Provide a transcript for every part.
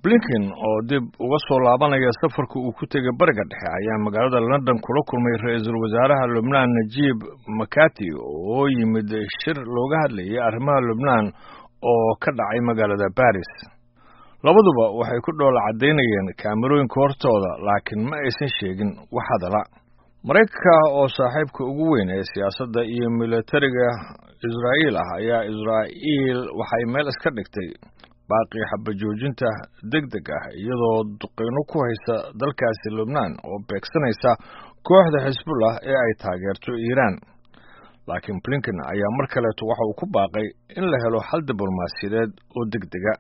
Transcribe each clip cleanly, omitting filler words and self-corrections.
Blinken oo dib uga soo laabanaya safarka uu ku tegay Bariga Dhexe ayaa magaalada London kula kulmay ra-iisul wasaaraha Lubnaan Najiib Makati oo yimid shir looga hadlayay arrimaha Lubnaan oo ka dhacay magaalada Baris. Labaduba waxay ku dhoola caddaynayeen kaamerooyinka hortooda, laakiin ma aysan sheegin wax hadala. Maraykanka oo saaxiibka ugu weyn ee siyaasadda iyo militariga Israa'iil ah ayaa Israa'iil waxay meel iska dhigtay baaqii xabajoojinta degdeg ah, iyadoo duqeyno ku haysa dalkaasi Lubnaan oo beegsanaysa kooxda Xisbullah ee ay taageerto Iiraan. Laakiin Blinken ayaa mar kaleeto waxa uu ku baaqay in la helo xal diblomaasiyadeed oo degdega.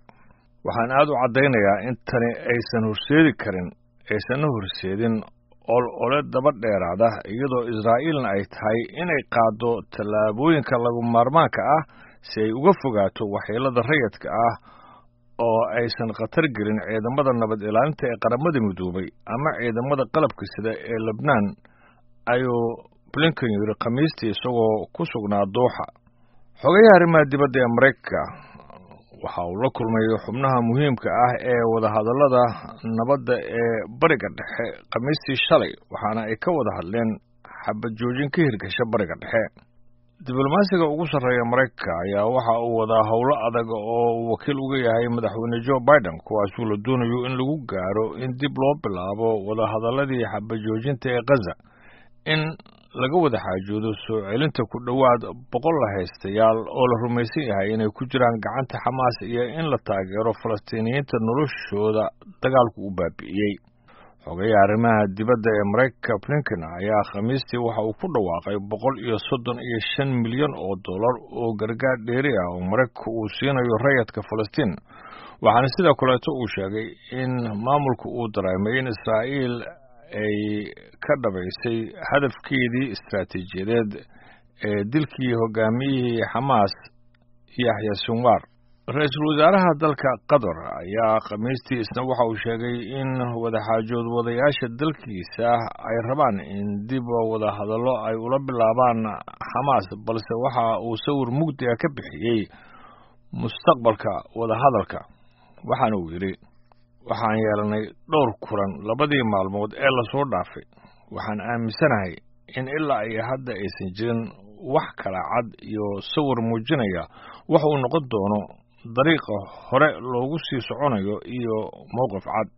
Waxaan aad u caddaynayaa in tani aysan horseedi karin, aysanna horseedin olole daba dheeraada, iyadoo Israa'iilna ay tahay inay qaaddo tallaabooyinka lagu maarmaanka ah si ay uga fogaato waxyeelada rayidka ah oo aysan khatar gelin ciidamada nabad ilaalinta ee Qaramada Midoobay ama ciidamada qalabka sida ee Lebnaan, ayuu Blinken yidhi Khamiistii isagoo ku sugnaa Dooxa. Xogayaha arrimaha dibadda ee Maraykanka waxa uu la kulmay xubnaha muhiimka ah ee wadahadallada nabadda ee Bariga Dhexe Khamiistii shalay, waxaana ay ka wada hadleen xabad joojin ka hirgasha Bariga Dhexe. Diblomaasiga ugu sarreeya Maraykanka ayaa waxa uu wadaa howlo adag oo uu wakiil uga yahay madaxweyne Joe Biden, kuwaasuu la doonayo in lagu gaaro in dib loo bilaabo wadahadalladii xabad joojinta ee Gaza, in laga wada xaajoodo soo celinta ku dhowaad 100 lahaystayaal oo la rumaysan yahay inay ku jiraan gacanta Xamaas, iyo in la taageero Falastiiniyiinta noloshooda dagaalku u baabi'iyey. Xogayaha arrimaha dibadda ee Maraykanka Blinken ayaa Khamiistii waxa uu ku dhawaaqay 135 milyan oo dollar oo gargaar dheeri ah oo Maraykanka uu siinayo rayadka Falastiin, waxaana sidoo kaleeto uu sheegay in maamulka uu dareemay in Israa'iil ay ka dhabaysay hadafkeedii istaraatiijiyadeed ee dilkii hogaamiyihii Xamaas Yaxya Sinwar. Ra-iisul wasaaraha dalka Qatar ayaa Khamiistii isna waxa uu sheegay in wadaxaajood wadayaasha dalkiisa ay rabaan in dib wadahadallo ay ula bilaabaan Xamaas, balse waxa uu sawir mugdi ah ka bixiyey mustaqbalka wadahadalka, waxaana uu yidhi: "Waxaan yeelanay dhowr kulan labadii maalmood ee lasoo dhaafay. Waxaan aaminsanahay in ilaa iyo hadda aysan jirin wax kala cad iyo sawir muujinaya wax uu noqon doono dariiqa hore loogu sii soconayo iyo mowqif cad."